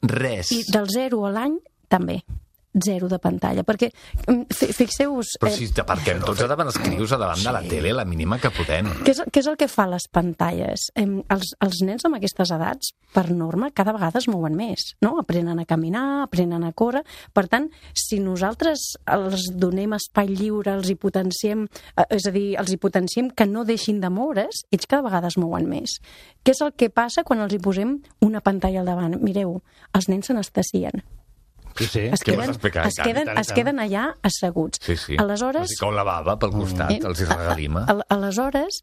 Res. I del 0 a l'any, també. 0 de pantalla, perquè fixeu-vos... Però si t'aparquem tots davant els crios a davant de la tele, la mínima que podem. Què és el que fa les pantalles? Els nens amb aquestes edats, per norma, cada vegada es mouen més, no? Aprenen a caminar, aprenen a córrer. Per tant, si nosaltres els donem espai lliure, els hi potenciem, és a dir, els hi potenciem que no deixin de moure's, ells cada vegada es mouen més. Què és el que passa quan els hi posem una pantalla al davant? Mireu, els nens s'anestesien. Sí. Es queden allà asseguts. Sí. Aleshores, els hi cau la bava pel costat, els hi regalima. Aleshores,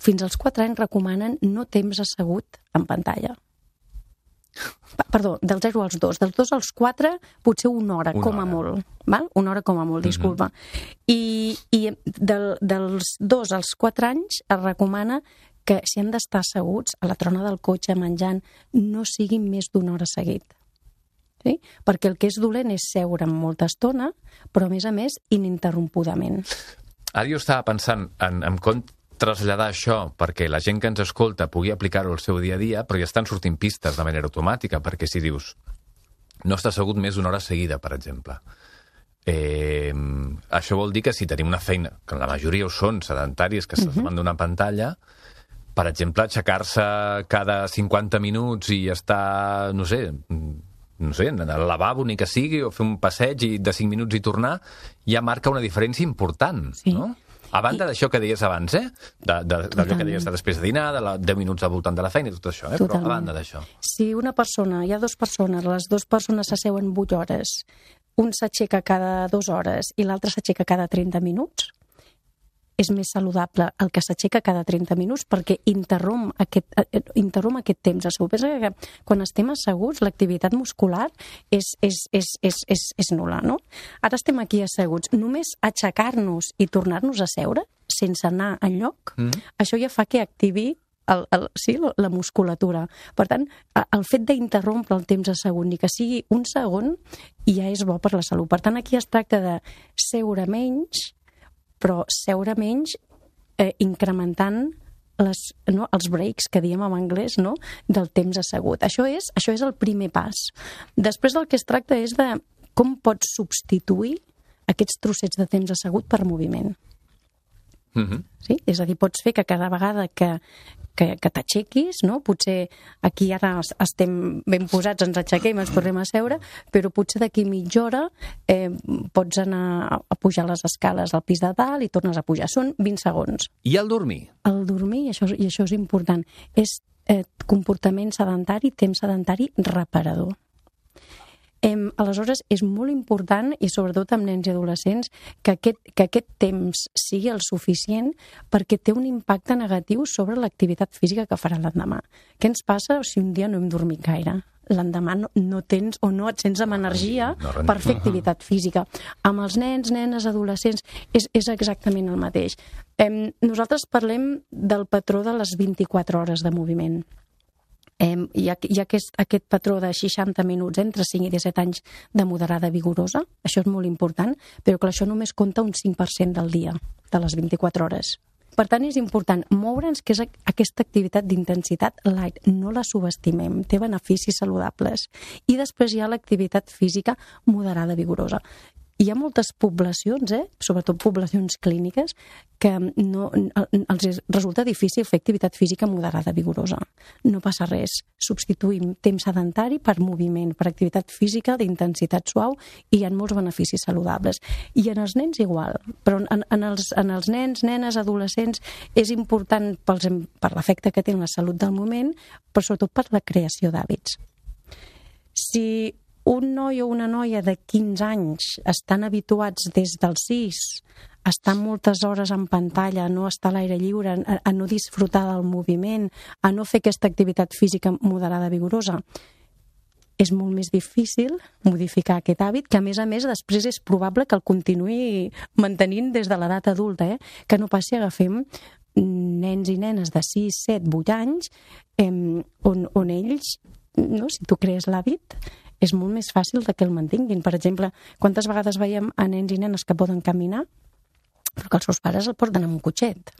fins als 4 anys recomanen no temps assegut en pantalla. Perdó, del 0 als 2. Dels 2 als 4, potser una hora, com a molt. Val? Una hora com a molt, disculpa. I dels 2 als 4 anys es recomana que si han d'estar asseguts a la trona del cotxe menjant, no siguin més d'una hora seguit. Sí? Perquè el que és dolent és seure amb molta estona, però a més ininterrompudament. Ara jo estava pensant en com traslladar això perquè la gent que ens escolta pugui aplicar-ho al seu dia a dia, però ja estan sortint pistes de manera automàtica, perquè si dius no està assegut més d'una hora seguida, per exemple, això vol dir que si tenim una feina, que la majoria ho són sedentaris, que estàs davant d'una pantalla, per exemple, aixecar-se cada 50 minuts i estar, no sé, anar al lavabo ni que sigui, o fer un passeig de 5 minuts i tornar, ja marca una diferència important, no? A banda d'això que deies abans, d'allò que deies de després de dinar, de 10 minuts al voltant de la feina i tot això, però a banda d'això. Si una persona, hi ha 2 persones, les 2 persones s'asseuen 8 hores, un s'aixeca cada 2 hores i l'altre s'aixeca cada 30 minuts, és més saludable el que s'aixeca cada 30 minuts perquè interromp aquest temps assegut. Pensa que quan estem asseguts l'activitat muscular és nul·la, no? Ara estem aquí asseguts. Només aixecar-nos i tornar-nos a seure sense anar enlloc, això ja fa que activi la musculatura. Per tant, el fet d'interrompre el temps assegut, ni que sigui un segon, ja és bo per la salut. Per tant, aquí es tracta de seure menys, però seure menys incrementant els breaks, que diem en anglès, no? Del temps assegut. Això és el primer pas. Després del que es tracta és de com pots substituir aquests trossets de temps assegut per moviment. Sí? És a dir, pots fer que cada vegada que t'aixequis, no? Potser aquí ara estem ben posats, ens aixequem, ens tornem a seure, però potser d'aquí mitja hora pots anar a pujar les escales al pis de dalt i tornes a pujar. Són 20 segons. I el dormir? El dormir, i això és important, és comportament sedentari, temps sedentari reparador. Aleshores, és molt important, i sobretot amb nens i adolescents, que aquest temps sigui el suficient perquè té un impacte negatiu sobre l'activitat física que farà l'endemà. Què ens passa si un dia no hem dormit gaire? L'endemà no tens o no et sents amb energia per fer activitat física. Amb els nens, nenes, adolescents, és exactament el mateix. Nosaltres parlem del patró de les 24 hores de moviment. Hi ha aquest patró de 60 minuts entre 5 i 17 anys de moderada vigorosa, això és molt important, però que això només compta un 5% del dia, de les 24 hores. Per tant, és important moure'ns, que és aquesta activitat d'intensitat light, no la subestimem, té beneficis saludables. I després hi ha l'activitat física moderada vigorosa. hi ha moltes poblacions, sobretot poblacions clíniques, que els resulta difícil fer activitat física moderada vigorosa. No passa res. Substituïm temps sedentari per moviment, per activitat física d'intensitat suau, i hi ha molts beneficis saludables. I en els nens igual, però en els nens, nenes, adolescents, és important per l'efecte que té en la salut del moment, però sobretot per la creació d'hàbits. Si un noi o una noia de 15 anys estan habituats des dels 6 a estar moltes hores en pantalla, a no estar a l'aire lliure, a no disfrutar del moviment, a no fer aquesta activitat física moderada vigorosa, és molt més difícil modificar aquest hàbit, que a més després és probable que el continuï mantenint des de l'edat adulta, que no passi, agafem nens i nenes de 6, 7, 8 anys, on ells, si tu crees l'hàbit, és molt més fàcil que el mantinguin. Per exemple, quantes vegades veiem a nens i nenes que poden caminar, però que els seus pares el porten amb un cotxet.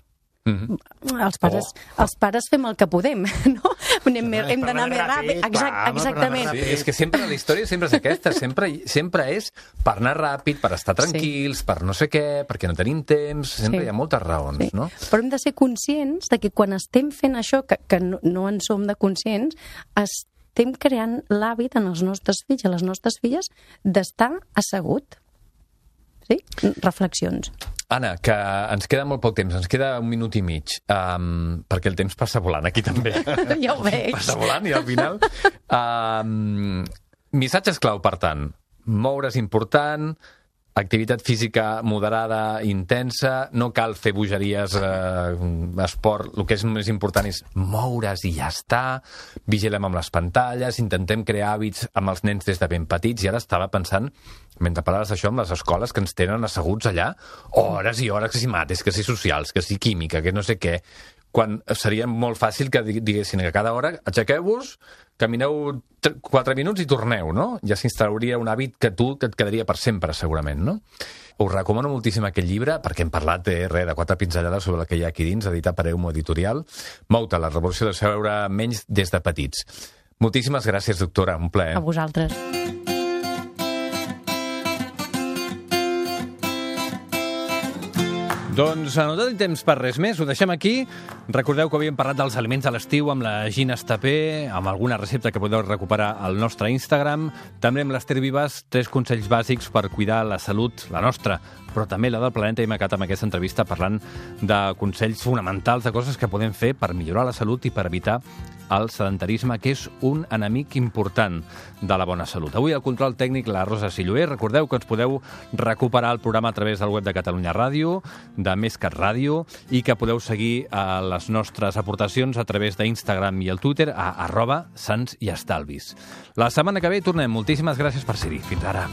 Els pares fem el que podem, no? Hem d'anar més ràpid. Exactament. Sí, és que sempre la història sempre és aquesta, sempre és per anar ràpid, per estar tranquils, per no sé què, perquè no tenim temps, sempre hi ha moltes raons, no? Però hem de ser conscients de que quan estem fent això, que no en som de conscients, estem creant l'hàbit en els nostres fills i les nostres filles d'estar assegut. Sí? Reflexions. Anna, que ens queda molt poc temps, ens queda 1 minut i mig, perquè el temps passa volant, aquí també. Ja ho veig. Passa volant i al final... Missatges clau, per tant. Moure's important, activitat física moderada, intensa, no cal fer bogeries, esport, el que és més important és moure's i ja està, vigilem amb les pantalles, intentem crear hàbits amb els nens des de ben petits, i ara estava pensant, mentre parlaves d'això, amb les escoles que ens tenen asseguts allà, hores i hores, que si mates, que si socials, que si química, que no sé què, quan seria molt fàcil que diguessin que cada hora aixequeu-vos, camineu 4 minuts i torneu, no? Ja s'instal·laria un hàbit que et quedaria per sempre, segurament, no? Us recomano moltíssim aquest llibre, perquè hem parlat de 4 pinzellades sobre el que hi ha aquí dins, editat per Eumo Editorial. Mouta, la revolució de seure menys des de petits. Moltíssimes gràcies, doctora, un plaer. A vosaltres. Doncs no tenim temps per res més, ho deixem aquí. Recordeu que havíem parlat dels aliments a l'estiu amb la Gina Estapé, amb alguna recepta que podeu recuperar al nostre Instagram. També amb l'Ester Vives, 3 consells bàsics per cuidar la salut, la nostra, però també la del planeta. Hem acabat amb aquesta entrevista parlant de consells fonamentals, de coses que podem fer per millorar la salut i per evitar el sedentarisme, que és un enemic important de la bona salut. Avui al control tècnic la Rosa Silloé. Recordeu que ens podeu recuperar el programa a través del web de Catalunya Ràdio, de MesCat Ràdio, i que podeu seguir les nostres aportacions a través d'Instagram i el Twitter a @sants i estalvis. La setmana que ve tornem. Moltíssimes gràcies per ser-hi. Fins ara.